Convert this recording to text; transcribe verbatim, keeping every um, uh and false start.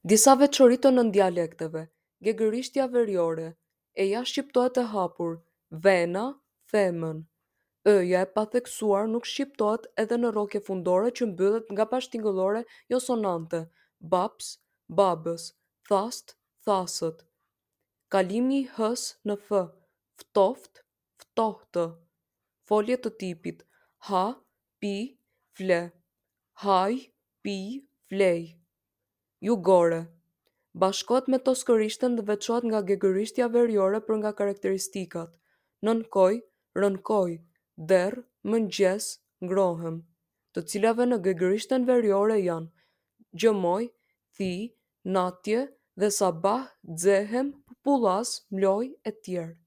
Disa veçori të nëndialekteve: Gegërishtja veriore: e-ja shqiptohet e hapur, vena, femën. Ë-ja e patheksuar nuk shqiptohet edhe në rrokje fundore që mbyllet nga bashkëtingëllore josonante, babs, babës, thastë, thasët. Kalimi i h-së në f, ftoftë, ftohtë. Folje të tipit: ha, pi, fle, haj, pij, flej. Jugore: Bashkohet me toskërishten dhe veçohet nga gegërishtja veriore për nga karakteristikat: nënkoj, rënkoj, derr, mëngjes, ngrohem, të cilave në gegërishten veriore janë: gjëmoj, thij, natje dhe sabah, xehem, pupullaz, mloj etj.